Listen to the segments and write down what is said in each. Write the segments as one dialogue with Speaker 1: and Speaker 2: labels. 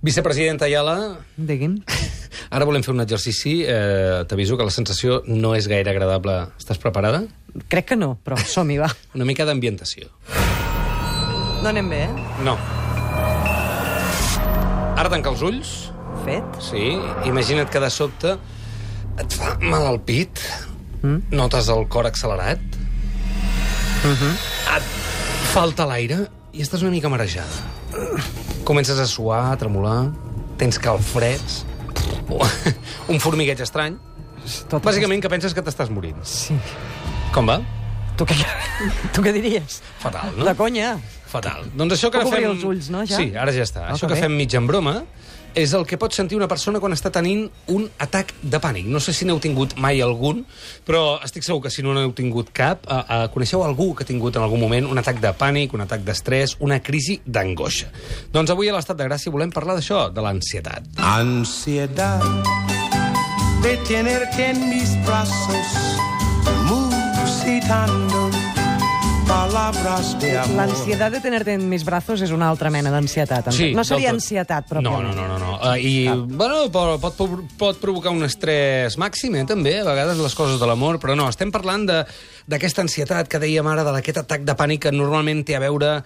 Speaker 1: Vicepresidenta Ayala,
Speaker 2: Digui'm.
Speaker 1: ara volem fer un exercici. T'aviso que la sensació no és gaire agradable. Estàs preparada?
Speaker 2: Crec que no, però som-hi, va.
Speaker 1: Una mica d'ambientació.
Speaker 2: No anem bé,
Speaker 1: No. Ara tanca els ulls.
Speaker 2: Fet.
Speaker 1: Sí, imagina't que de sobte et fa mal al pit, notes el cor accelerat, et falta l'aire i estàs una mica marejada. Comences a suar, a tremolar, tens calfreds, un formigueig estrany. Bàsicament que penses que t'estàs morint.
Speaker 2: Sí.
Speaker 1: Com va?
Speaker 2: Tu què diries?
Speaker 1: Fatal, no?
Speaker 2: De conya.
Speaker 1: Fatal. Doncs això que ara
Speaker 2: Puc obrir
Speaker 1: fem...
Speaker 2: els ulls, no, ja?
Speaker 1: Sí, ara ja està.
Speaker 2: Ah,
Speaker 1: Això
Speaker 2: que
Speaker 1: que
Speaker 2: bé.
Speaker 1: fem mig en broma és el que pot sentir una persona quan està tenint un atac de pànic. No sé si n'heu tingut mai algun, però estic segur que si no n'heu tingut cap, coneixeu algú que ha tingut en algun moment un atac de pànic, un atac d'estrès, una crisi d'angoixa. Doncs avui a l'Estat de Gràcia volem parlar d'això, de l'ansietat.
Speaker 3: Ansiedad de tenerte en mis brazos, musitando palabras de amor.
Speaker 2: L'ansietat de tenerte en mis brazos és una altra mena d'ansietat.
Speaker 1: Sí,
Speaker 2: No seria
Speaker 1: del tot.
Speaker 2: ansietat,
Speaker 1: No.
Speaker 2: pròpiament.
Speaker 1: Bueno, pot provocar un estrès màxim, també, a vegades, les coses de l'amor, però no, estem parlant d'aquesta ansietat que dèiem ara, d'aquest atac de pànic que normalment té a veure,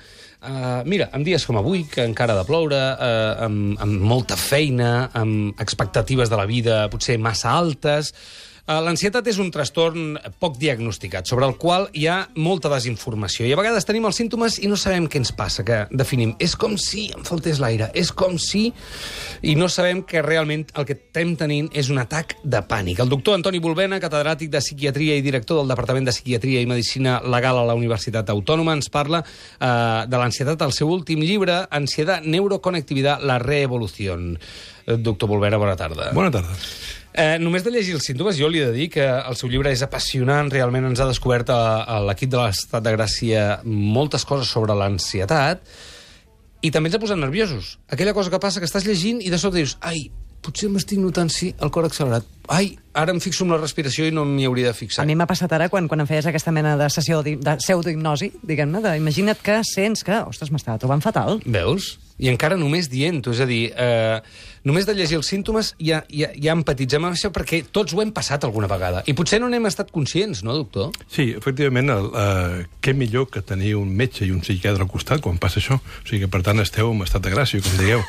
Speaker 1: mira, amb dies com avui, que encara ha de ploure, amb molta feina, amb expectatives de la vida potser massa altes. L'ansietat és un trastorn poc diagnosticat, sobre el qual hi ha molta desinformació. I a vegades tenim els símptomes i no sabem què ens passa, que definim. És com si em faltés l'aire, és com si... I no sabem que realment el que estem tenint és un atac de pànic. El doctor Antoni Bulbena, catedràtic de Psiquiatria i director del Departament de Psiquiatria i Medicina Legal a la Universitat Autònoma, ens parla de l'ansietat al seu últim llibre, Ansiedad, Neuroconectividad, la reevolución. Doctor Bulbena, bona tarda.
Speaker 4: Bona tarda.
Speaker 1: Només de llegir els símptomes, jo li he de dir que el seu llibre és apassionant, realment ens ha descobert a l'equip de l'Estat de Gràcia moltes coses sobre l'ansietat, i també ens ha posat nerviosos. Aquella cosa que passa que estàs llegint i de sobte dius, ai, potser m'estic notant, sí, el cor accelerat. Ai, ara em fixo en la respiració i no m'hi hauria de fixar.
Speaker 2: A mi m'ha passat ara quan em feies aquesta mena de sessió de pseudohipnosi, diguem-ne, imagina't que sents que, ostres, m'estava trobant fatal.
Speaker 1: Veus? I encara només dient-ho, és a dir, només de llegir els símptomes ja empatitzem amb això perquè tots ho hem passat alguna vegada. I potser no n'hem estat conscients, no, doctor?
Speaker 4: Sí, efectivament, què millor que tenir un metge i un psiquiatre al costat quan passa això. O sigui que, per tant, esteu en estat de gràcia, com digueu.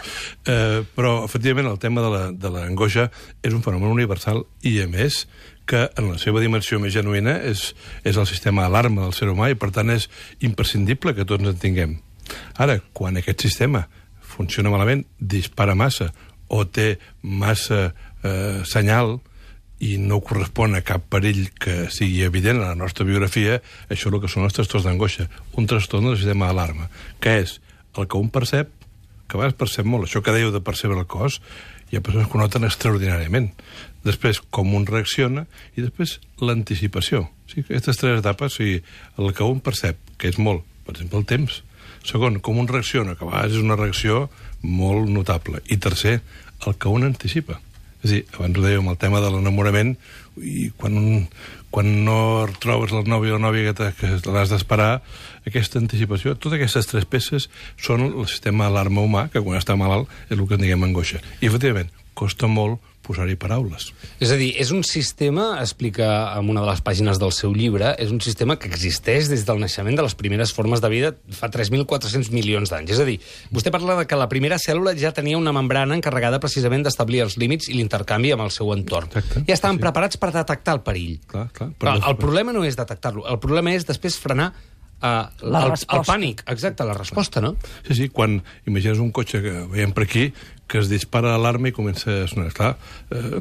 Speaker 4: Però, efectivament, el tema de l'angoixa és un fenomen universal i, a més, que en la seva dimensió més genuïna és el sistema d'alarma del ser humà i, per tant, és imprescindible que tots en tinguem. Ara, quan aquest sistema funciona malament, dispara massa o té massa senyal i no correspon a cap perill que sigui evident a la nostra biografia, això és el que són els trastorns d'angoixa. Un trastorn del sistema d'alarma, que és el que un percep, que a vegades percep molt, això que dèieu de percebre el cos, hi ha persones que ho noten extraordinàriament. Després, com un reacciona, i després l'anticipació. O sigui, aquestes tres etapes, o sigui, el que un percep, que és molt, per exemple, el temps. Segon, com un reacciona, que a vegades és una reacció molt notable. I tercer, el que un anticipa. És a dir, abans ho dèiem, el tema de l'enamorament, i quan no trobes el nòvio o la nòvia que l'has d'esperar, aquesta anticipació, totes aquestes tres peces són el sistema d'alarma humà, que quan està malalt és el que en diguem angoixa. I, efectivament, costa molt posar-hi paraules.
Speaker 1: És a dir, és un sistema, explica en una de les pàgines del seu llibre, és un sistema que existeix des del naixement de les primeres formes de vida fa 3.400 milions d'anys. És a dir, vostè parla de que la primera cèl·lula ja tenia una membrana encarregada precisament d'establir els límits i l'intercanvi amb el seu entorn.
Speaker 4: Exacte.
Speaker 1: Ja estaven preparats per detectar el perill.
Speaker 4: Clar.
Speaker 1: Però el problema no és detectar-lo, el problema és després frenar el pànic. Exacte, la resposta, no?
Speaker 4: Sí, quan imagines un cotxe que veiem per aquí, que es dispara l'alarma i comença a sonar. Clar,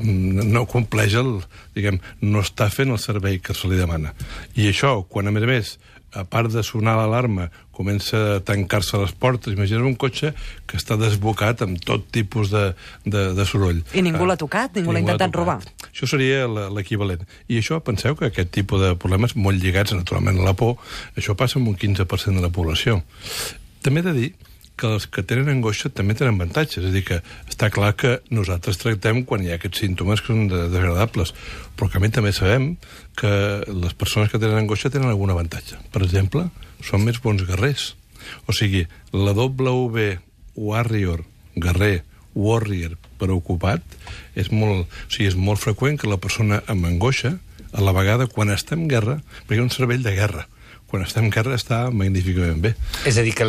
Speaker 4: no compleix no està fent el servei que se li demana. I això, quan a més, a part de sonar l'alarma, comença a tancar-se les portes, imagines un cotxe que està desbocat amb tot tipus de soroll.
Speaker 2: I ningú l'ha tocat, ningú l'ha intentat robar.
Speaker 4: Això seria l'equivalent. I això, penseu que aquest tipus de problemes, molt lligats naturalment a la por, això passa amb un 15% de la població. També he de dir que els que tenen angoixa també tenen avantatges. És a dir, que està clar que nosaltres tractem quan hi ha aquests símptomes que són desagradables, però que a mi també sabem que les persones que tenen angoixa tenen algun avantatge. Per exemple, són més bons guerrers. O sigui, la WV Warrior, guerrer, warrior preocupat, és molt freqüent que la persona amb angoixa, a la vegada, quan està en guerra, perquè hi ha un cervell de guerra, quan està en guerra està magníficament bé.
Speaker 1: És a dir, que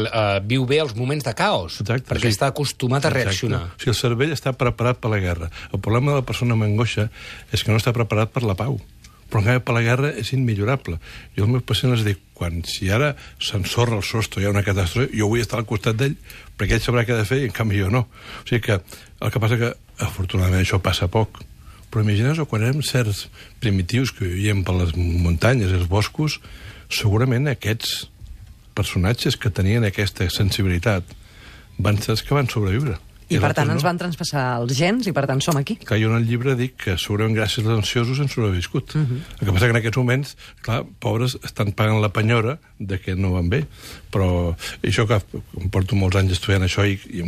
Speaker 1: viu bé els moments de caos,
Speaker 4: Exacte,
Speaker 1: perquè
Speaker 4: sí.
Speaker 1: està acostumat a reaccionar.
Speaker 4: Exacte. O sigui, el cervell està preparat per la guerra. El problema de la persona amb angoixa és que no està preparat per la pau. Però en canvi per la guerra és immillorable. Jo als meus pacients els dic, si ara s'ensorra el sostre, hi ha una catàstrofe, jo vull estar al costat d'ell, perquè ell sabrà què ha de fer, i en canvi jo no. O sigui que el que passa que, afortunadament, això passa poc. Però imagineu-vos, quan érem certs primitius que vivíem per les muntanyes i els boscos, segurament aquests personatges que tenien aquesta sensibilitat van ser els que van sobreviure.
Speaker 2: I per tant ens van traspassar els gens i per tant som aquí.
Speaker 4: Clar, jo en el llibre dic que segurament gràcies als ansiosos hem sobreviscut. El que passa que en aquests moments, clar, pobres, estan pagant la penyora de que no van bé. Però això que em porto molts anys estudiant això i he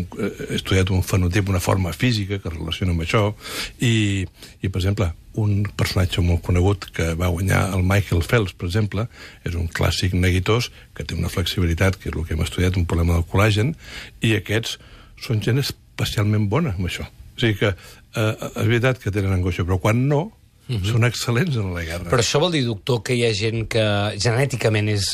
Speaker 4: estudiat un fenotip, una forma física que es relaciona amb això, i per exemple, un personatge molt conegut que va guanyar el Michael Phelps, per exemple, és un clàssic neguitós que té una flexibilitat, que és el que hem estudiat, un problema del col·làgen, i aquests són gent especialment bona amb això. O sigui que és veritat que tenen angoixa, però quan no, són excel·lents en la guerra.
Speaker 1: Però això vol dir, doctor, que hi ha gent que genèticament és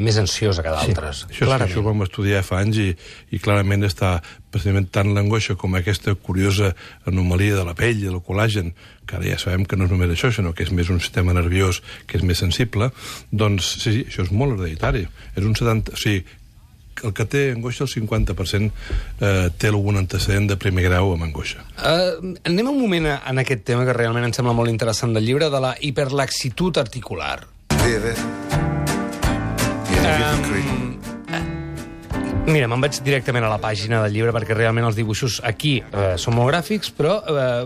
Speaker 1: més ansiosa que d'altres.
Speaker 4: Sí, això ho vam estudiar fa anys i clarament està precisament tant l'angoixa com aquesta curiosa anomalia de la pell i del col·làgen, que ara ja sabem que no és només això, sinó que és més un sistema nerviós que és més sensible, doncs sí, això és molt hereditari. És un 70... O sigui, el que té angoixa, el 50%, té algun antecedent de primer grau amb angoixa.
Speaker 1: Anem un moment en aquest tema que realment em sembla molt interessant del llibre, de la hiperlaxitud articular. Mira, me'n vaig directament a la pàgina del llibre perquè realment els dibuixos aquí són molt gràfics, però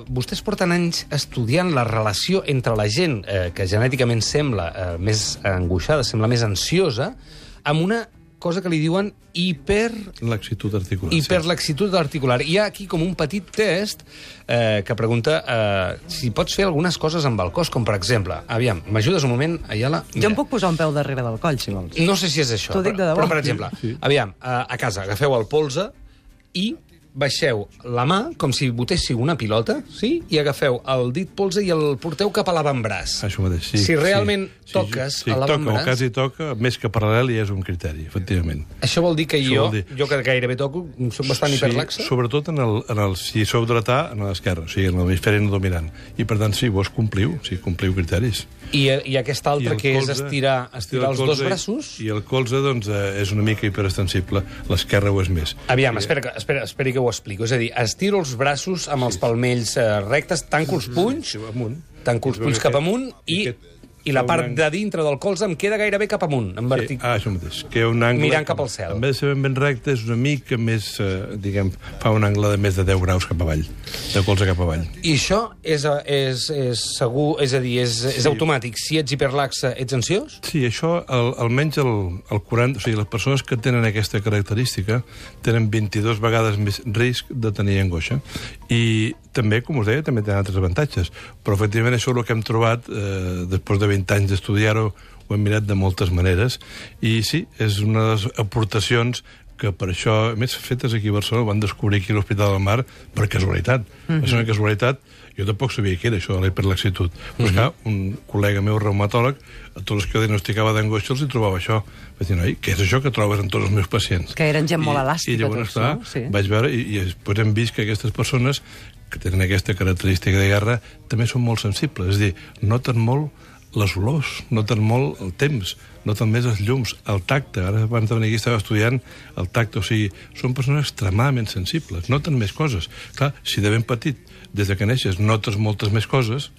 Speaker 1: vostès porten anys estudiant la relació entre la gent que genèticament sembla més angoixada, sembla més ansiosa, amb una cosa que li diuen
Speaker 4: hiperlaxitud articular.
Speaker 1: Hiperlaxitud articular. Hi ha aquí com un petit test que pregunta si pots fer algunes coses amb el cos, com per exemple, aviam, m'ajudes un moment, Ayala?
Speaker 2: Jo em puc posar un peu darrere del coll, si vols.
Speaker 1: No sé si és això.
Speaker 2: T'ho dic de debò.
Speaker 1: Però per exemple, aviam, a casa agafeu el polze i baixeu la mà com si botéssiu una pilota, sí? I agafeu el dit polze i el porteu cap a l'avantbraç.
Speaker 4: Això mateix, sí.
Speaker 1: Si realment toques a l'avantbraç...
Speaker 4: o quasi toca, més que paral·lel ja és un criteri, efectivament.
Speaker 1: Això vol dir que jo que gairebé toco, soc bastant hiperlaxa?
Speaker 4: Sí, sobretot si sou dretà, en l'esquerra, o sigui, en l'hemisferi no dominant. I per tant, sí, vos compliu criteris.
Speaker 1: I aquest altre, que és estirar els dos braços...
Speaker 4: I el colze, doncs, és una mica hiperestensible. L'esquerra ho és més.
Speaker 1: Aviam, espera que ho explico. És a dir, estiro els braços amb els palmells rectes, tanco els punys, cap amunt i la part de dintre del colze em queda gairebé cap amunt, en vertic.
Speaker 4: Això mateix. Que un angle,
Speaker 1: mirant cap al cel.
Speaker 4: En vez de ser ben recte, és una mica més, fa un angle de més de 10 graus cap avall, de colze cap avall.
Speaker 1: I això és segur, és a dir, és automàtic. Si ets hiperlaxa, ets ansiós?
Speaker 4: Sí, això, almenys el 40... O sigui, les persones que tenen aquesta característica tenen 22 vegades més risc de tenir angoixa. I també, com us deia, també tenen altres avantatges. Però, efectivament, això és el que hem trobat després de 20 anys d'estudiar-ho, ho hem mirat de moltes maneres, i sí, és una de les aportacions que per això, a més, fetes aquí a Barcelona, ho van descobrir aquí a l'Hospital del Mar per casualitat. És una casualitat, jo tampoc sabia què era això de la hiperlaxitud. Però és que un col·lega meu reumatòleg, a tots els que diagnosticava d'angoixa els hi trobava això. Vaig dir, noi, què és això que trobes en tots els meus pacients?
Speaker 2: Que eren gent molt elàstica.
Speaker 4: I llavors, clar, vaig veure, i després hem vist que aquestes persones que tenen aquesta característica de guerra també són molt sensibles. És a dir, noten molt les olors, noten molt el temps, noten més els llums, el tacte. Ara, abans de venir aquí, estava estudiant el tacte. O sigui, són persones extremadament sensibles, noten més coses. Clar, si de ben petit, des de que neixes, notes moltes més coses,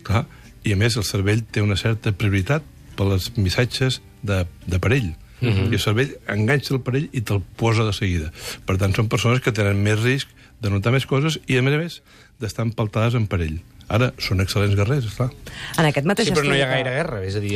Speaker 4: clar, i a més el cervell té una certa prioritat per als missatges de perill. I el cervell enganxa el perill i te'l posa de seguida. Per tant, són persones que tenen més risc de notar més coses i, a més, d'estar empaltades en perill. Ara, són excel·lents guerrers, esclar.
Speaker 2: En aquest mateix
Speaker 1: sí, però no hi ha gaire guerra, és a dir,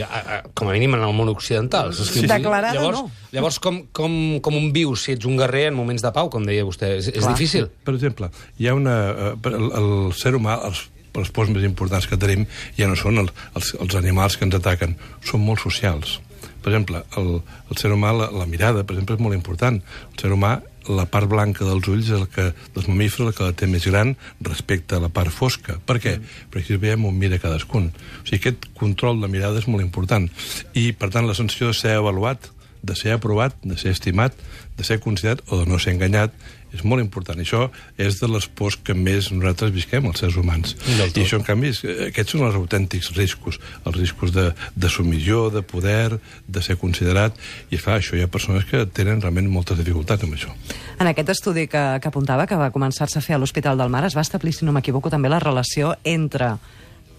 Speaker 1: com a mínim en el món occidental.
Speaker 2: Sí. Declarada, no.
Speaker 1: Llavors, com un vius si ets un guerrer en moments de pau, com deia vostè? És difícil?
Speaker 4: Per exemple, hi ha el ser humà, els pors més importants que tenim, ja no són els animals que ens ataquen, són molt socials. Per exemple, el ser humà, la mirada, per exemple, és molt important. El ser humà la part blanca dels ulls dels mamífers el que la té més gran respecte a la part fosca. Per què? Perquè si veiem on mira cadascun. O sigui, aquest control de mirada és molt important. I, per tant, la sensació de ser avaluat, de ser aprovat, de ser estimat, de ser considerat o de no ser enganyat, és molt important. I això és de les pors que més nosaltres visquem, els sérs humans. I això, en canvi, aquests són els autèntics riscos. Els riscos de submissió, de poder, de ser considerat. I, clar, això hi ha persones que tenen realment moltes dificultats amb això.
Speaker 2: En aquest estudi que apuntava, que va començar-se a fer a l'Hospital del Mar, es va establir, si no m'equivoco, també la relació entre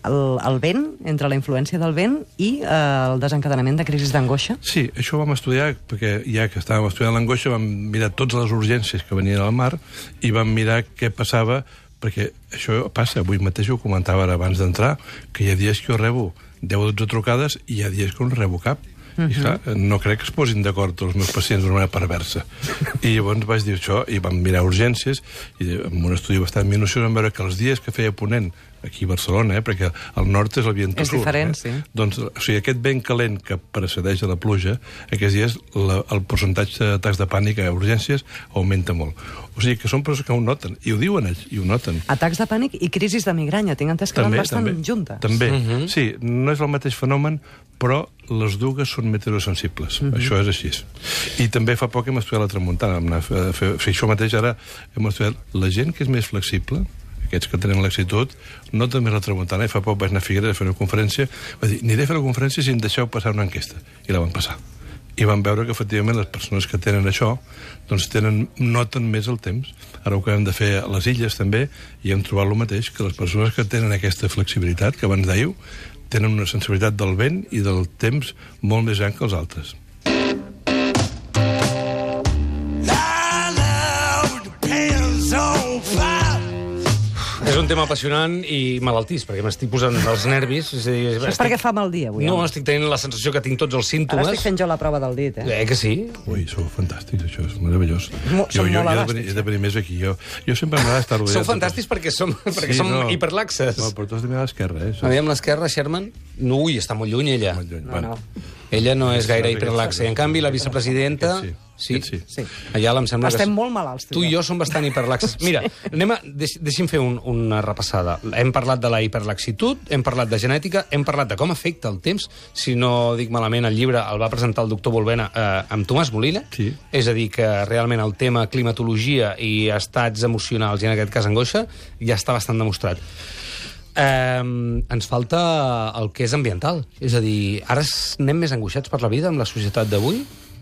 Speaker 2: el vent, entre la influència del vent i el desencadenament de crisis d'angoixa?
Speaker 4: Sí, això ho vam estudiar, perquè ja que estàvem estudiant l'angoixa vam mirar totes les urgències que venien al mar i vam mirar què passava, perquè això passa, avui mateix ho comentava ara abans d'entrar, que hi ha dies que jo rebo 10 o 12 trucades i hi ha dies que no rebo cap. I clar, no crec que es posin d'acord els meus pacients d'una manera perversa. I llavors vaig dir això, i vam mirar urgències, i amb un estudi bastant minuciós vam veure que els dies que feia ponent, aquí a Barcelona, perquè el nord és el vent sud.
Speaker 2: És diferent, sí.
Speaker 4: Doncs, o sigui, aquest vent calent que precedeix a la pluja, aquests dies el percentatge d'atacs de pànic a urgències augmenta molt. O sigui, que són persones que ho noten, i ho diuen ells, i ho noten.
Speaker 2: Atacs de pànic i crisis de migranya, tinc entès que van bastant juntes.
Speaker 4: També, sí, no és el mateix fenomen, però les dues són meteorosensibles. Això és així. I també fa poc hem estudiat la tramuntana. Això mateix ara hem estudiat la gent que és més flexible, aquests que tenen laxitud, no també la tramuntana, i fa poc vaig anar a Figueres a fer una conferència, va dir, aniré a fer la conferència si em deixeu passar una enquesta. I la van passar. I van veure que, efectivament, les persones que tenen això doncs noten més el temps. Ara ho que hem de fer a les illes, també, i hem trobat el mateix, que les persones que tenen aquesta flexibilitat, que abans dèieu, tenen una sensibilitat del vent i del temps molt més gran que els altres.
Speaker 1: És un tema apassionant i malaltís, perquè m'estic posant els nervis. És a dir,
Speaker 2: És perquè fa mal dia, avui.
Speaker 1: No, estic tenint la sensació que tinc tots els símptomes.
Speaker 2: Ara estic fent jo la prova del dit,
Speaker 1: Que sí?
Speaker 4: Ui, sou fantàstics, això és meravellós.
Speaker 2: Som molt elàstics.
Speaker 4: He de venir més aquí. Jo sempre m'agrada estar rodeat.
Speaker 1: Sou fantàstics perquè som hiperlaxes.
Speaker 4: No, però tu has de mirar a l'esquerra,
Speaker 1: Aviam l'esquerra, Sherman. Ui, està molt lluny, ella.
Speaker 4: Molt lluny.
Speaker 2: No.
Speaker 1: Ella no és gaire hiperlaxa. I, en canvi, la vicepresidenta... Sí. Allà em sembla que...
Speaker 2: Estem molt malalts.
Speaker 1: Tu i jo som bastant hiperlaxes. Mira, deixi'm fer una repassada. Hem parlat de la hiperlaxitud, hem parlat de genètica, hem parlat de com afecta el temps. Si no dic malament, el llibre el va presentar el doctor Volvena amb Tomàs Molina.
Speaker 4: Sí.
Speaker 1: És a dir, que realment el tema climatologia i estats emocionals, i en aquest cas angoixa, ja està bastant demostrat. Ens falta el que és ambiental. És a dir, ara anem més angoixats per la vida amb la societat d'avui?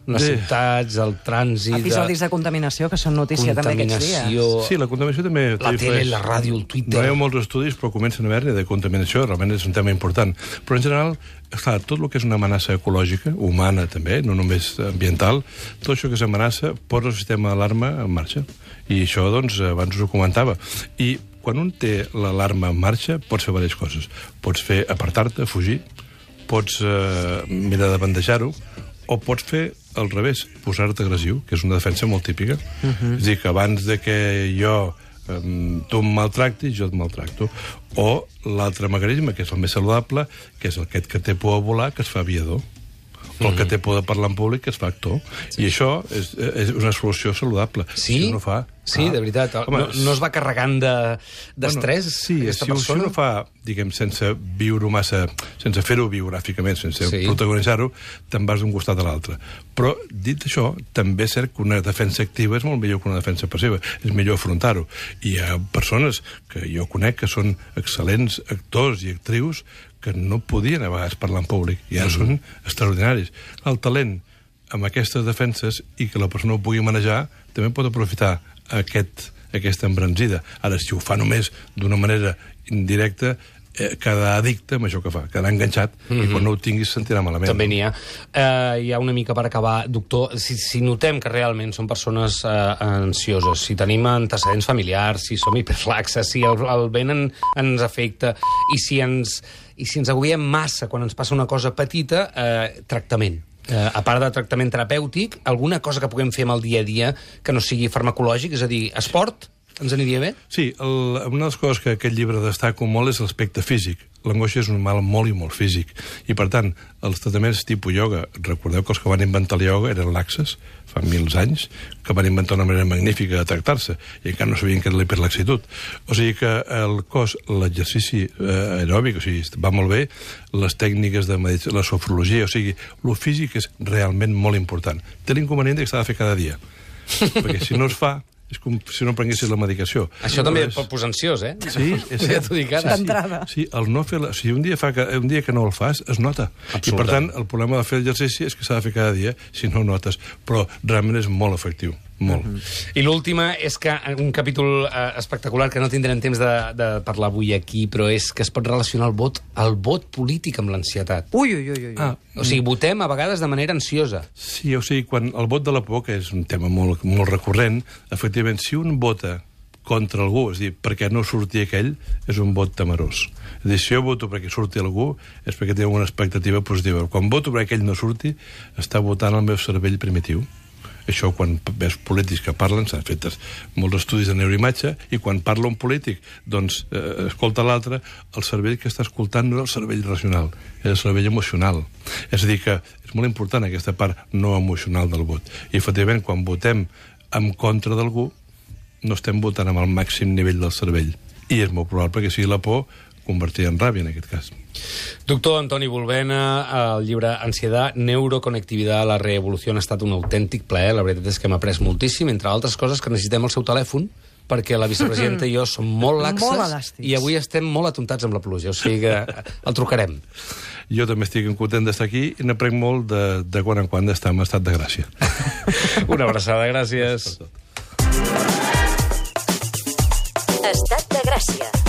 Speaker 1: Les ciutats, el trànsit...
Speaker 2: Episodis de contaminació, que són notícia també aquests dies.
Speaker 4: Sí, la contaminació també...
Speaker 1: La tele, la ràdio, el Twitter...
Speaker 4: No hi ha molts estudis, però comencen a haver-ne de contaminació, realment és un tema important. Però en general, clar, tot el que és una amenaça ecològica, humana també, no només ambiental, tot això que s'amenaça posa el sistema d'alarma en marxa. I això, doncs, abans us ho comentava. I quan un té l'alarma en marxa, pots fer diverses coses. Pots fer apartar-te, fugir, pots mirar de bandejar-ho, o pots fer al revés, posar-te agressiu, que és una defensa molt típica. És a dir, que abans de que jo tu em maltractis, jo et maltracto. O l'altre mecanisme, que és el més saludable, que és aquest que té por a volar, que es fa aviador. O el que té por de parlar en públic, que es fa actor. I això és una solució saludable.
Speaker 1: Sí?
Speaker 4: Si no fa...
Speaker 1: Sí, de veritat. No es va carregant d'estrès, aquesta persona?
Speaker 4: Si no fa, diguem, sense viure massa, sense fer-ho biogràficament, sense protagonitzar-ho, te'n vas d'un costat a l'altre. Però, dit això, també és cert que una defensa activa és molt millor que una defensa passiva. És millor afrontar-ho. I hi ha persones que jo conec que són excel·lents actors i actrius que no podien a vegades parlar en públic, i ara són extraordinaris. El talent amb aquestes defenses i que la persona ho pugui manejar també pot aprofitar aquesta embranzida. Ara, si ho fa només d'una manera indirecta, quedarà addicte amb això que fa, quedarà enganxat, i quan no ho tinguis sentirà malament.
Speaker 1: També n'hi ha. Hi ha una mica per acabar, doctor, si notem que realment són persones ansioses, si tenim antecedents familiars, si som hiperlaxes, si el vent ens afecta, i si ens agobiem massa quan ens passa una cosa petita, tractament. A part de tractament terapèutic, alguna cosa que puguem fer amb el dia a dia que no sigui farmacològic, és a dir, esport, Ens aniria bé?
Speaker 4: Sí, una de les coses que aquest llibre destaca molt és l'aspecte físic. L'angoixa és un mal molt i molt físic. I, per tant, els tractaments tipus ioga, recordeu que els que van inventar el ioga eren laxes, fa 1000 anys, que van inventar una manera magnífica de tractar-se, i encara no sabien què era l'hiperlaxitud. O sigui que el cos, l'exercici aeròbic, o sigui, va molt bé, les tècniques de medicina, la sofrologia, o sigui, el físic és realment molt important. Té l'inconvenient que s'ha de fer cada dia, perquè si no es fa, és com si no prenguessis la medicació.
Speaker 1: Això també et pot posar ansiós, eh?
Speaker 4: Sí, és cert.
Speaker 2: D'entrada.
Speaker 4: Sí, el no fer si un dia que no el fas, es nota. I, per tant, el problema de fer l'exercici és que s'ha de fer cada dia, si no ho notes. Però realment és molt efectiu. Molt.
Speaker 1: I l'última és que un capítol espectacular que no tindrem temps de parlar avui aquí, però és que es pot relacionar el vot polític amb l'ansietat.
Speaker 2: Ui.
Speaker 1: O sigui, votem a vegades de manera ansiosa.
Speaker 4: Sí, o sigui, quan el vot de la por, que és un tema molt, molt recurrent, efectivament, si un vota contra algú, és a dir, perquè no surti aquell, és un vot temerós. És a dir, si jo voto perquè surti algú, és perquè té una expectativa positiva. Quan voto perquè aquell no surti, està votant el meu cervell primitiu. Això, quan veus polítics que parlen, s'han fet molts estudis de neuroimatge, i quan parla un polític, doncs, escolta l'altre, el cervell que està escoltant no és el cervell racional, és el cervell emocional. És a dir, que és molt important aquesta part no emocional del vot. I, efectivament, quan votem en contra d'algú, no estem votant amb el màxim nivell del cervell. I és molt probable que sigui la por convertida en ràbia, en aquest cas.
Speaker 1: Doctor Antoni Bulbena, el llibre Ansiedad, Neuroconectividad, la revolució ha estat un autèntic plaer. La veritat és que hem après moltíssim, entre altres coses que necessitem el seu telèfon, perquè la vicepresidenta i jo som molt laxes
Speaker 2: molt elàstics.
Speaker 1: I avui estem molt atontats amb la pluja, o sigui que el trucarem.
Speaker 4: Jo també estic content d'estar aquí i n'aprenc molt de quan en quan d'estar en estat de gràcia.
Speaker 1: Una abraçada, gràcies.
Speaker 5: Estat de Gràcia.